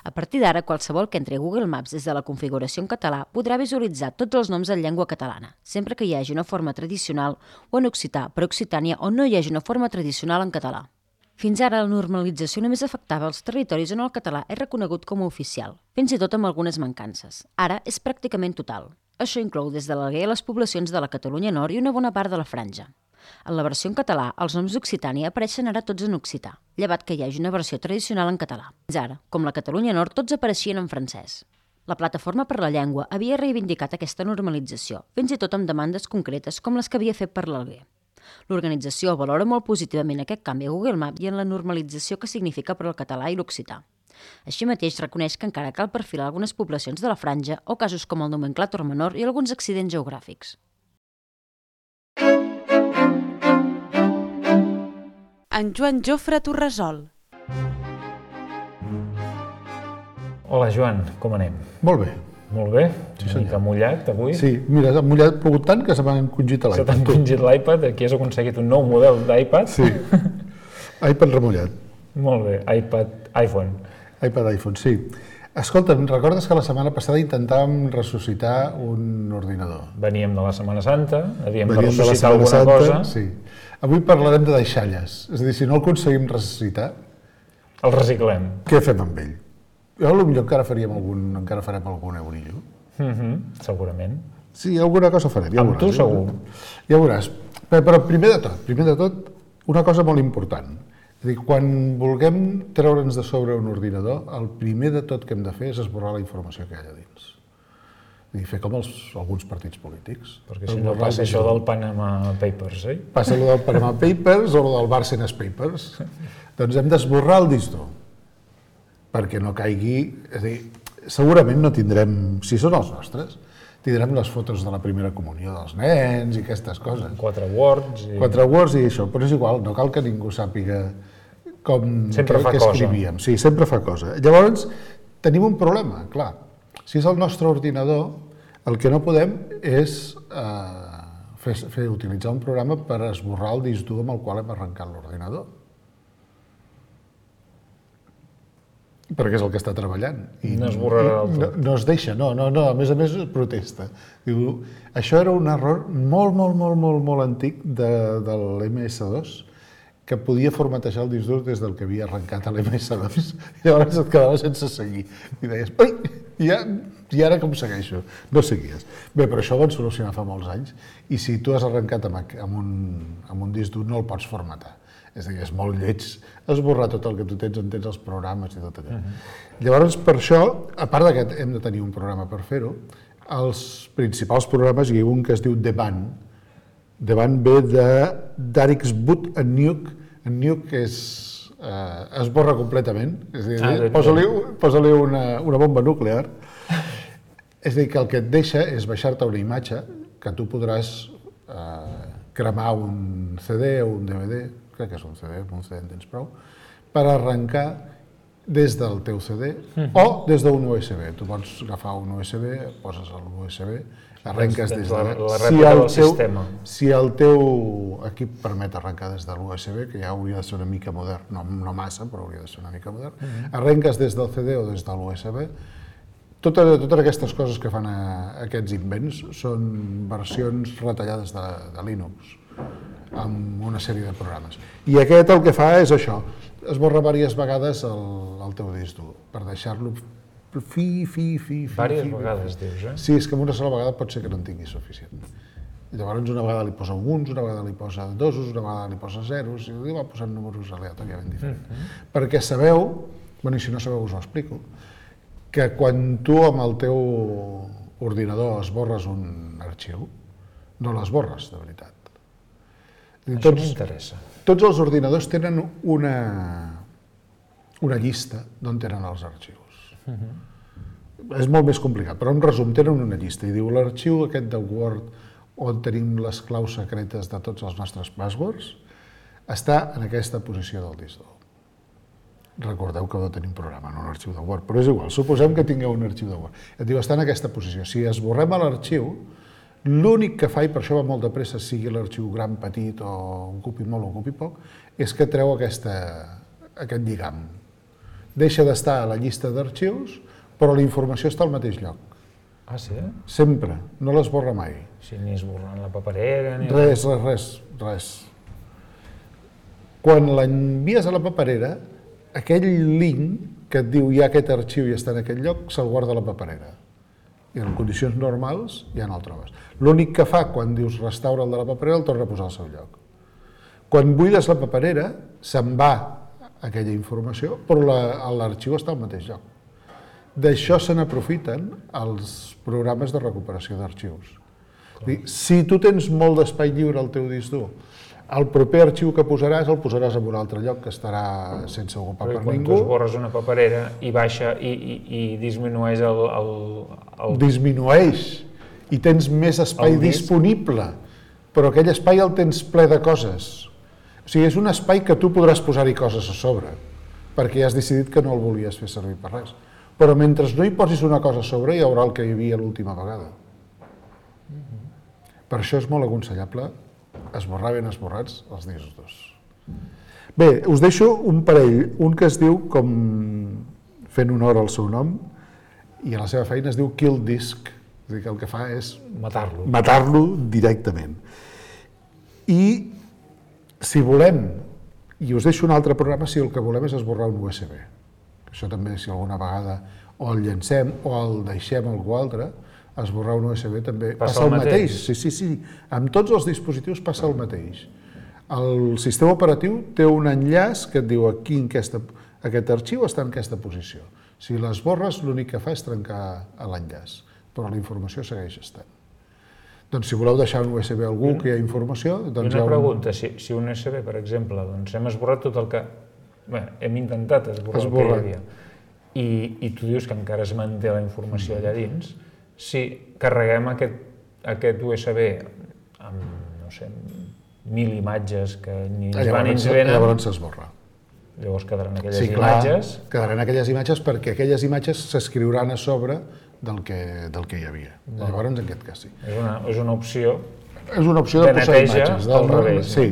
B: A partir d'ara, qualsevol que entri a Google Maps des de la configuració en català podrà visualitzar tots els noms en llengua catalana, sempre que hi hagi una forma tradicional o en occità per Occitània on no hi hagi una forma tradicional en català. Fins ara, la normalització només afectava els territoris on el català és reconegut com a oficial, fins i tot amb algunes mancances. Ara és pràcticament total. Això inclou des de l'Alguer a les poblacions de la Catalunya Nord i una bona part de la Franja. En la versió en català, els noms d'Occitània apareixen ara tots en occità, llevat que hi hagi una versió tradicional en català. Fins ara, com la Catalunya Nord, tots apareixien en francès. La Plataforma per la Llengua havia reivindicat aquesta normalització, fins i tot amb demandes concretes com les que havia fet per l'Alguer. L'organització valora molt positivament aquest canvi a Google Maps i en la normalització que significa per al català i l'occità. Així mateix reconeix que encara cal perfilar algunes poblacions de la Franja o casos com el nomenclàtor menor i alguns accidents geogràfics.
A: En Joan Jofre Torresol.
F: Hola, Joan, com anem?
G: Molt bé.
F: Molt bé?
G: Sí,
F: una mica mullat, avui?
G: Sí, mira, ha mullat, plogut tant que se m'ha encongit l'iPad.
F: Se t'ha encongit l'iPad, aquí has aconseguit un nou model d'iPad?
G: Sí, iPad remullat.
F: Molt bé, iPhone,
G: sí. Escolta, recordes que la setmana passada intentàvem ressuscitar un ordinador?
F: Veníem de la Setmana Santa, havíem de ressuscitar alguna cosa.
G: Sí. Avui parlarem de deixalles, és a dir, si no el aconseguim ressuscitar...
F: El reciclem.
G: Què fem amb ell? Jo potser encara farem algun eurillo.
F: Segurament.
G: Sí, alguna cosa farem.
F: Amb tu segur.
G: Ja veuràs. Però primer de tot, una cosa molt important. És a dir, quan vulguem treure'ns de sobre un ordinador, el primer de tot que hem de fer és esborrar la informació que hi ha allà dins. És a dir, fer com alguns partits polítics.
F: Perquè si no passa això del Panama Papers, eh?
G: Passa allò del Panama Papers o del Bárcenas Papers. Doncs hem d'esborrar el disc dur, perquè no caigui... És a dir, segurament no tindrem, si són els nostres, tindrem les fotos de la primera comunió dels nens i aquestes coses.
F: 4 words i...
G: 4 words i això, però és igual, no cal que ningú sàpiga com
F: Sempre fa cosa.
G: escrivíem. Sí, sempre fa cosa. Llavors, tenim un problema, clar. Si és el nostre ordinador, el que no podem és utilitzar un programa per esborrar el disc dur amb el qual hem arrencat l'ordinador. Perquè és el que està treballant. I
F: no esborrarà del tot.
G: No es deixa, no, a més protesta. Diu, això era un error molt antic de l'MS2, que podia formatejar el disc dur des del que havia arrencat l'MS2, i llavors et quedava sense seguir. I deies, ui, i ara com segueixo? No seguies. Bé, però això ho van solucionar fa molts anys, i si tu has arrencat amb un disc dur no el pots formatar. És a dir, és molt lleig esborrar tot el que tu tens, on tens els programes i tot allò. Llavors, per això, a part que hem de tenir un programa per fer-ho, els principals programes, hi ha un que es diu Deban. Deban ve d'Arix Boot and Nuke. En Nuke esborra completament, és a dir, posa-li una bomba nuclear. És a dir, que el que et deixa és baixar-te una imatge que tu podràs cremar un CD o un DVD, crec que és un CD, amb un CD en tens prou, per arrencar des del teu CD o des d'un USB. Tu pots agafar un USB, poses l'USB, arrenques des de...
F: La rèplica del sistema.
G: Si el teu equip permet arrencar des de l'USB, que ja hauria de ser una mica modern, no massa, però hauria de ser una mica modern, arrenques des del CD o des de l'USB. Totes aquestes coses que fan aquests invents són versions retallades de Linux, amb una sèrie de programes. I aquest el que fa és això, esborra diverses vegades el teu disc dur, per deixar-lo
F: Diverses vegades, dius, eh?
G: Sí, és que amb una sola vegada pot ser que no en tingui suficient. Llavors una vegada li posa uns, una vegada li posa dosos, una vegada li posa zeros, i li va posant números aleatòriament diferents. Perquè sabeu, i si no sabeu us ho explico, que quan tu amb el teu ordinador esborres un arxiu, no l'esborres de veritat.
F: Això m'interessa.
G: Tots els ordinadors tenen una llista d'on tenen els arxius. És molt més complicat, però en resum tenen una llista i diu l'arxiu aquest de Word on tenim les claus secretes de tots els nostres passwords està en aquesta posició del disc dur. Recordeu que heu de tenir un programa, no un arxiu de Word, però és igual, suposem que tingueu un arxiu de Word. Et diu, està en aquesta posició. Si esborrem l'arxiu, l'únic que fa, i per això va molt de pressa, sigui l'arxiu gran, petit, o ocupi molt o ocupi poc, és que treu aquest lligam. Deixa d'estar a la llista d'arxius, però la informació està al mateix lloc.
F: Ah, sí?
G: Sempre, no l'esborra mai.
F: Sí, ni esborrant la paperera, ni...
G: Res. Quan l'envies a la paperera, aquell link que et diu hi ha aquest arxiu i està en aquest lloc, se'l guarda a la paperera. I en condicions normals ja no el trobes. L'únic que fa quan dius restaura el de la paperera el torna a posar al seu lloc. Quan buides la paperera se'n va aquella informació, però l'arxiu està al mateix lloc. D'això se n'aprofiten els programes de recuperació d'arxius. Si tu tens molt d'espai lliure al teu disc dur, el proper arxiu que posaràs el posaràs en un altre lloc que estarà sense ocupar per ningú.
F: Quan tu esborres una paperera i baixa i disminueix el...
G: Disminueix i tens més espai disponible, però aquell espai el tens ple de coses. O sigui, és un espai que tu podràs posar-hi coses a sobre, perquè ja has decidit que no el volies fer servir per res. Però mentre no hi posis una cosa a sobre hi haurà el que hi havia l'última vegada. Per això és molt aconsellable esborrar ben esborrats els discs durs. Bé, us deixo un parell, un que es diu, com fent honor al seu nom, i a la seva feina es diu Kill Disk, és a dir, que el que fa és matar-lo directament. I si volem, i us deixo un altre programa si el que volem és esborrar un USB. Això també, si alguna vegada o el llancem o el deixem a algú altre, esborrar un USB també
F: Passa
G: passa
F: el
G: el mateix.
F: mateix.
G: Sí. Amb tots els dispositius passa el mateix. El sistema operatiu té un enllaç que et diu aquí aquest arxiu està en aquesta posició. Si l'esborres, l'únic que fa és trencar l'enllaç, però la informació segueix estant. Doncs si voleu deixar un USB a algú que hi ha informació...
F: I una pregunta, si un USB, per exemple, doncs hem esborrat tot el que... Bé, hem intentat esborrar el que hi havia, i tu dius que encara es manté la informació allà dins, si carreguem aquest USB amb, no sé, 1.000 imatges que ni ens van ni ens venen...
G: Llavors s'esborra.
F: Llavors quedaran aquelles imatges...
G: Sí, clar, quedaran aquelles imatges perquè aquelles imatges s'escriuran a sobre del que hi havia. Llavors, en aquest cas, sí.
F: És una opció...
G: És una opció de posar imatges.
F: Al revés.
G: Sí.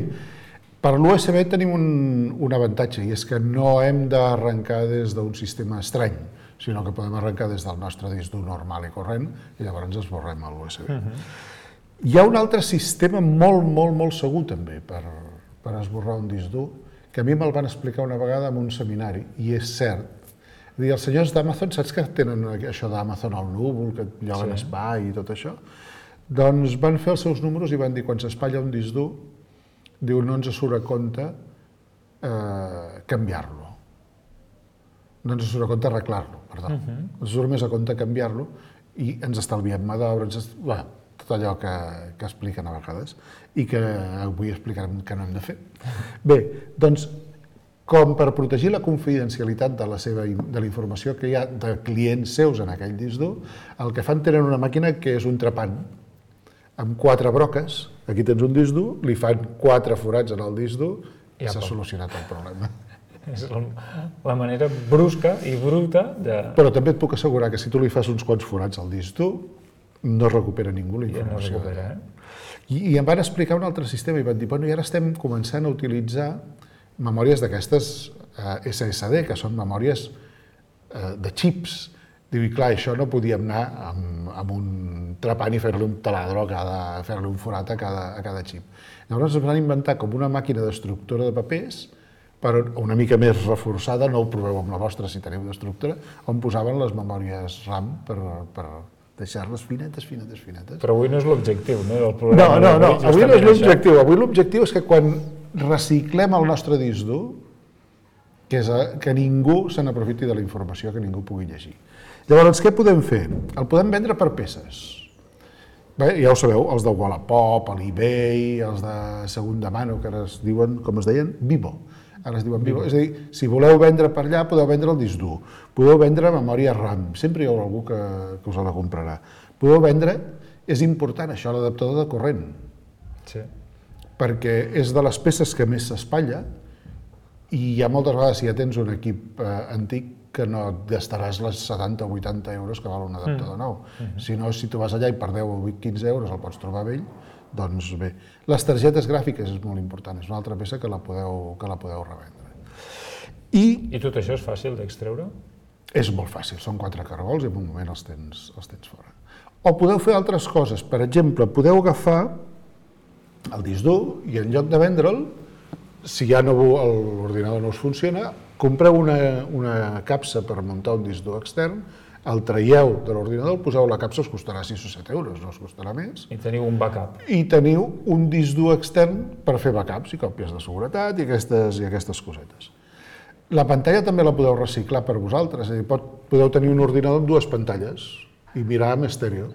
G: Per l'USB tenim un avantatge, i és que no hem d'arrencar des d'un sistema estrany, sinó que podem arrencar des del nostre disc dur normal i corrent, i llavors esborrem l'USB. Hi ha un altre sistema molt segur també per esborrar un disc dur, que a mi me'l van explicar una vegada en un seminari, i és cert. És dir, els senyors d'Amazon, saps que tenen això d'Amazon al núvol, que lloguen espai i tot això? Doncs van fer els seus números i van dir, quan s'espatlla un disc dur, diu, no ens surt a compte canviar-lo. No ens surt a compte arreglar-lo, perdó. Ens surt més a compte canviar-lo i ens estalviem mà d'obra, tot allò que expliquen a vegades i que avui explicarem que no hem de fer. Bé, doncs, com per protegir la confidencialitat de la informació que hi ha de clients seus en aquell disc dur, el que fan tenen una màquina que és un trepant, amb 4 broques, aquí tens un disc dur, li fan 4 forats en el disc dur i s'ha solucionat el problema.
F: És la manera brusca i bruta de...
G: Però també et puc assegurar que si tu li fas uns quants forats al disc dur, no recupera ningú la informació.
F: No recupera,
G: I em van explicar un altre sistema i van dir, bueno, i ara estem començant a utilitzar memòries d'aquestes SSD, que són memòries de xips. Diu, i clar, això no podíem anar amb un trepant i fer-li un taladro, fer-li un forat a cada xip. Llavors es van inventar com una màquina destructora de papers, però una mica més reforçada, no ho proveu amb la vostra si teniu destructora, on posaven les memòries RAM per deixar-les finetes.
F: Però avui no és l'objectiu, no? Del programa.
G: No, avui no és l'objectiu. Avui l'objectiu és que quan reciclem el nostre disc dur, que ningú se n'aprofiti de la informació, que ningú pugui llegir. Llavors, què podem fer? El podem vendre per peces. Bé, ja ho sabeu, els de Wallapop, l'eBay, els de segunda mano, que ara es diuen, com es deien, Vivo. Ara es diuen Vivo. És a dir, si voleu vendre per allà, podeu vendre el disc dur. Podeu vendre memòria RAM. Sempre hi haurà algú que us la comprarà. Podeu vendre, és important això, l'adaptador de corrent.
F: Sí.
G: Perquè és de les peces que més s'espatlla i hi ha moltes vegades, si ja tens un equip antic, que no et gastaràs les 70 o 80 euros que val un adaptador nou. Si no, si tu vas allà i per 10 o 15 euros el pots trobar vell, doncs bé. Les targetes gràfiques és molt important, és una altra peça que la podeu revendre.
F: I tot això és fàcil d'extreure?
G: És molt fàcil, són 4 cargols i en un moment els tens fora. O podeu fer altres coses, per exemple, podeu agafar el disc dur i en lloc de vendre'l, si ja l'ordinador no us funciona, compreu una capsa per muntar un disc dur extern, el traieu de l'ordinador, el poseu a la capsa, us costarà 6 o 7 euros, no us costarà més.
F: I teniu un backup.
G: I teniu un disc dur extern per fer backups i còpies de seguretat i aquestes cosetes. La pantalla també la podeu reciclar per vosaltres, és a dir, podeu tenir un ordinador amb 2 pantalles i mirar amb estèreo.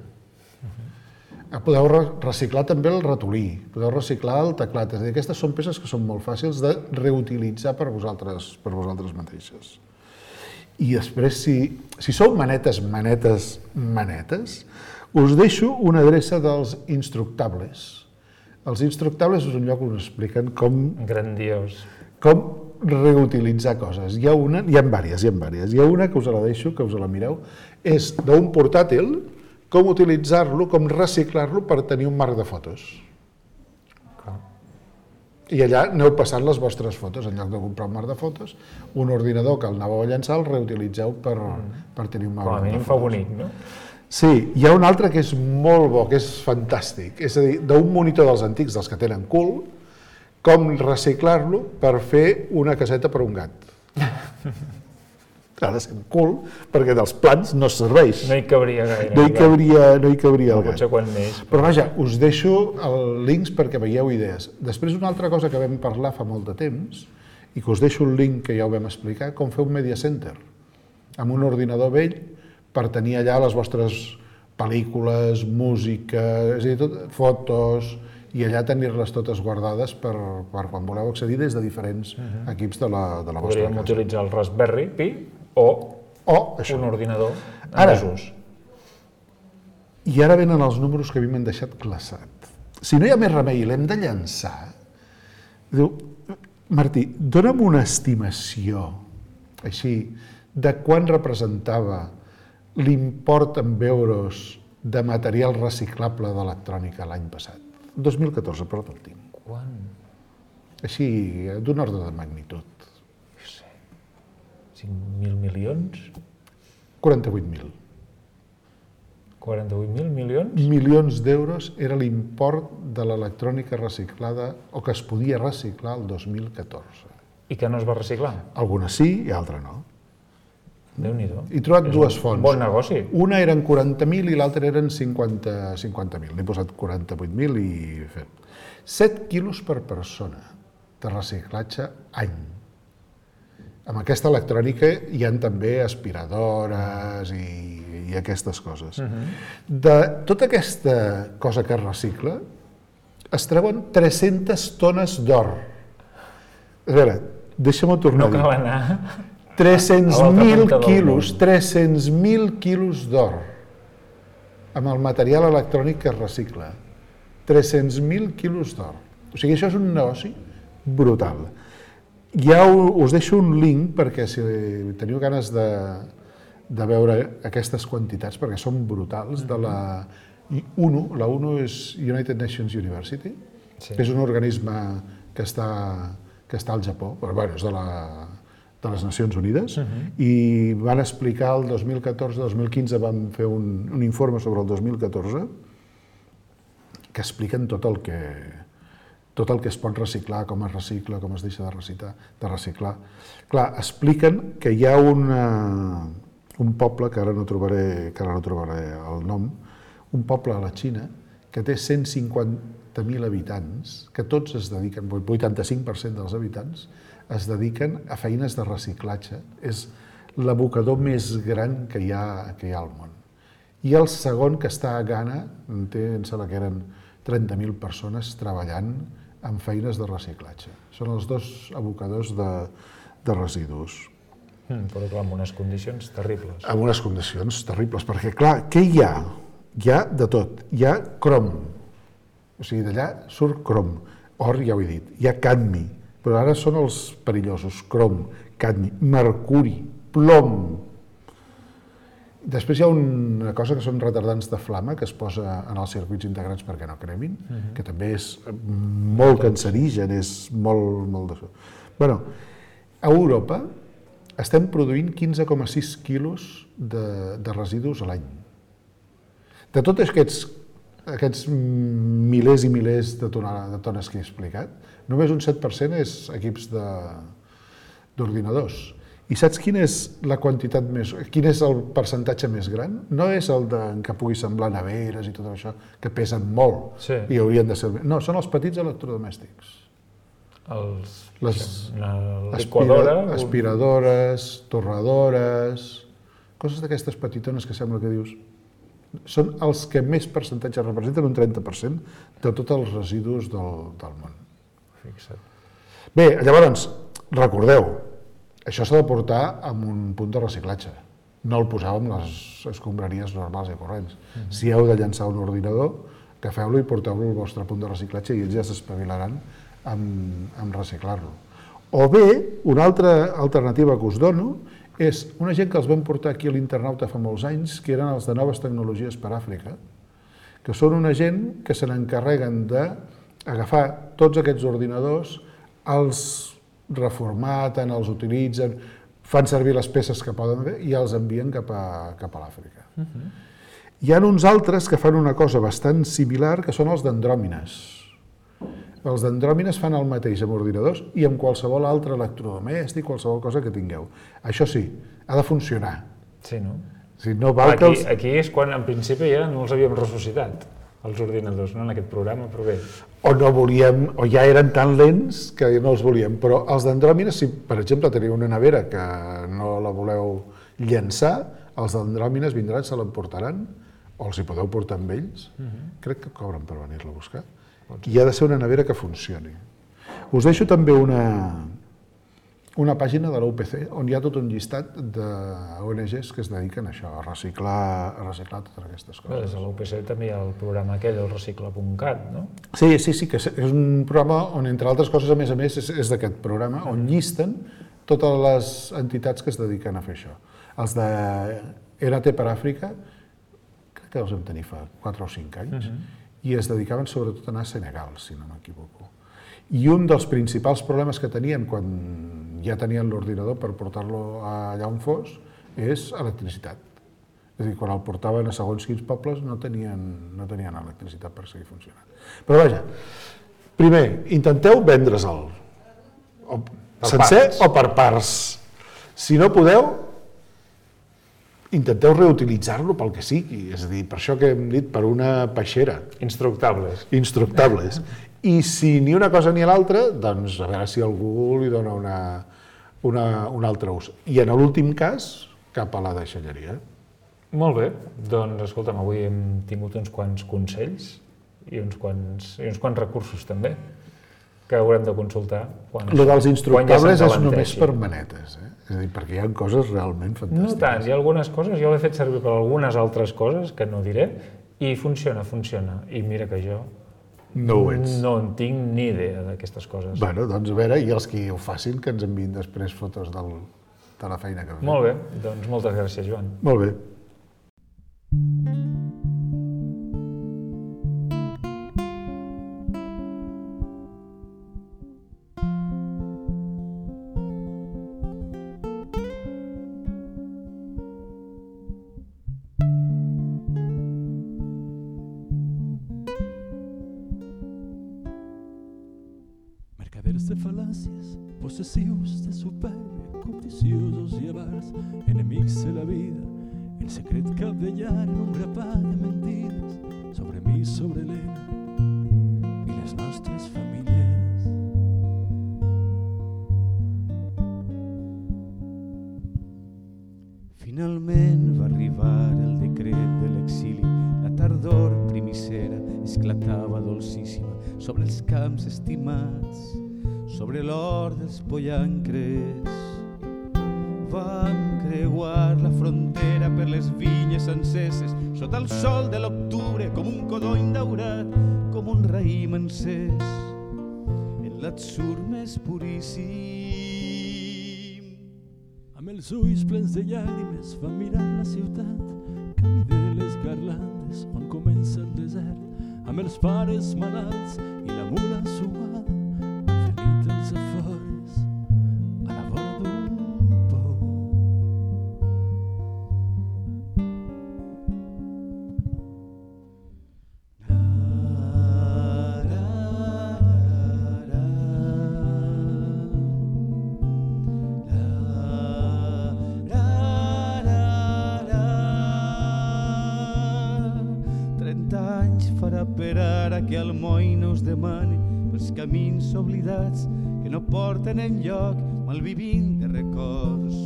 G: Podeu reciclar també el ratolí, podeu reciclar el teclat, és a dir, aquestes són peces que són molt fàcils de reutilitzar per vosaltres mateixes. I després, si sou manetes, us deixo una adreça dels Instructables. Els Instructables és un lloc on expliquen com...
F: Grandiós.
G: Com reutilitzar coses. Hi ha diverses. Hi ha una que us la deixo, que us la mireu, és d'un portàtil, com utilitzar-lo, com reciclar-lo per tenir un marc de fotos. I allà aneu passant les vostres fotos, en lloc de comprar un marc de fotos, un ordinador que el anàveu a llançar el reutilitzeu per tenir un marc de fotos.
F: Com a mínim fa bonic, no?
G: Sí, hi ha un altre que és molt bo, que és fantàstic, és a dir, d'un monitor dels antics, dels que tenen cul, com reciclar-lo per fer una caseta per a un gat. ha de ser cool, perquè dels plans no serveix.
F: No hi cabria gaire.
G: No hi cabria el gat.
F: Potser quan neix.
G: Però vaja, us deixo els links perquè veieu idees. Després, una altra cosa que vam parlar fa molt de temps, i que us deixo un link que ja ho vam explicar, com fer un media center, amb un ordinador vell, per tenir allà les vostres pel·lícules, música, és a dir, fotos, i allà tenir-les totes guardades per quan voleu accedir des de diferents equips de la vostra casa.
F: Podríem utilitzar el Raspberry Pi o un ordinador en desús.
G: I ara venen els números que a mi m'han deixat glaçat. Si no hi ha més remei i l'hem de llançar, diu, Martí, dona'm una estimació, així, de quan representava l'import en euros de material reciclable d'electrònica l'any passat. 2014, però tot tinc.
F: Quan?
G: Així, d'un ordre de magnitud.
F: No sé, 5.000 milions?
G: 48.000.
F: 48.000 milions?
G: Milions d'euros era l'import de l'electrònica reciclada o que es podia reciclar el 2014.
F: I que no es va reciclar?
G: Algunes sí i altres no.
F: Déu-n'hi-do.
G: He trobat dues fonts.
F: Bon negoci.
G: Una eren 40.000 i l'altra eren 50.000. N'he posat 48.000 i he fet 7 quilos per persona de reciclatge any. Amb aquesta electrònica hi ha també aspiradores i aquestes coses. De tota aquesta cosa que es recicla, es treuen 300 tones d'or. A veure, deixa'm-ho tornar a dir.
F: No cal anar...
G: 300.000 quilos, 300.000 quilos d'or amb el material electrònic que es recicla. 300.000 quilos d'or. O sigui, això és un negoci brutal. Ja us deixo un link perquè si teniu ganes de veure aquestes quantitats, perquè són brutals, de la UNO. La UNO és United Nations University, que és un organisme que està al Japó, però bueno, és de les Nacions Unides, i van explicar el 2014-2015, van fer un informe sobre el 2014 que expliquen tot el que es pot reciclar, com es recicla, com es deixa de reciclar. Clar, expliquen que hi ha un poble, que ara no trobaré el nom, un poble a la Xina que té 150.000 habitants, que tots es dediquen, 85% dels habitants, es dediquen a feines de reciclatge. És l'abocador més gran que hi ha al món. I el segon, que està a Ghana, em sembla que eren 30.000 persones treballant en feines de reciclatge. Són els dos abocadors de residus.
F: Però clar, amb unes condicions terribles.
G: Amb unes condicions terribles, perquè clar, què hi ha? Hi ha de tot. Hi ha crom, o sigui, d'allà surt crom. Or, ja ho he dit. Hi ha cadmi, però ara són els perillosos, crom, cadmi, mercuri, plom. Després hi ha una cosa que són retardants de flama que es posa en els circuits integrats perquè no cremin, que també és molt cancerigen, és molt... Bueno, a Europa estem produint 15,6 quilos de residus a l'any. De tots aquests milers i milers de tones que he explicat, només un 7% és equips d'ordinadors. I saps quin és el percentatge més gran? No és el que pugui semblar neveres i tot això, que pesen molt i haurien de ser... No, són els petits electrodomèstics. Aspiradores, torradores, coses d'aquestes petitones que sembla que dius... Són els que més percentatge representen, un 30% de tots els residus del món.
F: Fixa't.
G: Bé, llavors, recordeu, això s'ha de portar amb un punt de reciclatge. No el poseu amb les escombraries normals i corrents. Si heu de llançar un ordinador, agafeu-lo i porteu-lo al vostre punt de reciclatge i ells ja s'espavilaran amb reciclar-lo. O bé, una altra alternativa que us dono és una gent que els vam portar aquí a l'Internauta fa molts anys, que eren els de Noves Tecnologies per Àfrica, que són una gent que se n'encarreguen d'agafar tots aquests ordinadors, els reformaten, els utilitzen, fan servir les peces que poden fer i els envien cap a l'Àfrica. Hi ha uns altres que fan una cosa bastant similar, que són els d'Andròmines. Els dendròmines fan el mateix amb ordinadors i amb qualsevol altre electrodomèstic, qualsevol cosa que tingueu. Això sí, ha de funcionar.
F: Sí, no?
G: Si no val que
F: Aquí és quan, en principi, ja no els havíem ressuscitat, els ordinadors, no? En aquest programa, però bé.
G: O no volíem, o ja eren tan lents que no els volíem. Però els dendròmines, si per exemple teniu una nevera que no la voleu llançar, els dendròmines vindran, se l'emportaran, o els hi podeu portar amb ells. Crec que cobren per venir-la a buscar. I ha de ser una nevera que funcioni. Us deixo també una pàgina de l'UPC on hi ha tot un llistat d'ONGs que es dediquen a això, a reciclar totes aquestes coses.
F: Des de l'UPC també hi ha el programa aquell, el recicla.cat, no?
G: Sí, que és un programa on, entre altres coses, a més, és d'aquest programa, on llisten totes les entitats que es dediquen a fer això. Els de ERAT per Àfrica, crec que els vam tenir fa 4 o 5 anys, i es dedicaven sobretot a anar a Senegal, si no m'equivoco. I un dels principals problemes que tenien quan ja tenien l'ordinador per portar-lo allà on fos és electricitat. És a dir, quan el portaven a segons quins pobles no tenien electricitat per seguir funcionant. Però vaja, primer, intenteu vendre'l sencer o per parts. Si no podeu, intenteu reutilitzar-lo pel que sigui, és a dir, per això que hem dit, per una peixera. Instructables. I si ni una cosa ni l'altra, doncs a veure si algú li dona un altre ús. I en l'últim cas, cap a la deixalleria.
F: Molt bé, doncs escolta'm, avui hem tingut uns quants consells i uns quants recursos també que haurem de consultar.
G: Lo dels instructables és només per manetes, és a dir, perquè hi ha coses realment fantàstiques.
F: No tant, hi ha algunes coses, jo l'he fet servir per algunes altres coses, que no diré, i funciona. I mira que jo no en tinc ni idea d'aquestes coses.
G: Bueno, doncs a veure, i els que ho facin, que ens enviïn després fotos de la feina que fem.
F: Molt bé, doncs moltes gràcies, Joan.
G: Molt bé.
H: Mercaderes de fal·làcies, possessius de supèrbia, cobdiciosos i avars, enemics de la vida, el secret capdellar en un grapat de mentides sobre mi, sobre l'Helena i les nostres famílies.
I: Finalment va arribar el decret de l'exili, la tardor primicera esclatava dolcíssima sobre els camps estimats, sobre l'or dels pollancres. Vam creuar la frontera per les vinyes enceses, sota el sol de l'octubre, com un codony daurat, com un raïm encès, en l'atzur més puríssim.
H: Amb els ulls plens de llàgrimes va mirar la ciutat, camí de les garlandes on comença el desert, amb els pares malalts i la mula suada, han venit els afores a la vora d'un pou.
I: Per ara que el moll no us demane pels camins oblidats que no porten enlloc, malvivint de records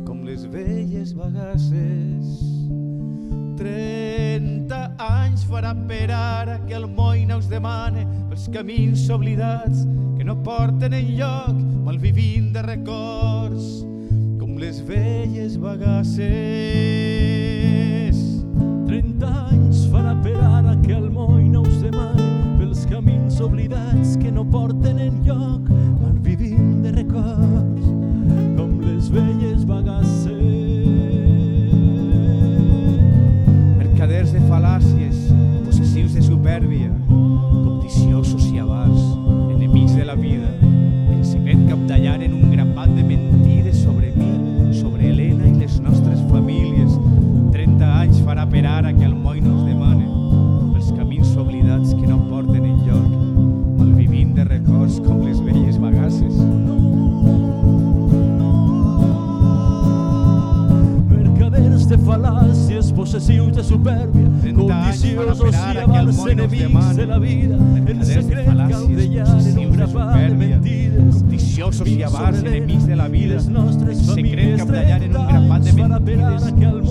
I: com les velles bagasses. 30 anys farà per ara que el moll no us demane pels camins oblidats que no porten enlloc, malvivint de records com les velles bagasses.
H: 30 anys farà per ara que el moll no us demane pels camins oblidats que no porten enlloc, malvivint de records com les velles bagasses.
I: Mercaders de fal·làcies, possessius de supèrbia, cobdiciosos i avars, enemics de la vida, el secret capdallar en un grapat de mentides sobre mi, sobre Helena i les nostres famílies. 30 anys farà per ara que el moll no us demane pels camins oblidats que no porten enlloc, malvivint
H: possessius de supèrbia, codiciosos i avars enemics de la vida, en secret caldellar en un grapat de mentides,
I: codiciosos i avars enemics de la vida,
H: les nostres
I: secret
H: famílies
I: caldellar en un grapat de
H: 30 anys farà per
I: mentides.
H: ara que el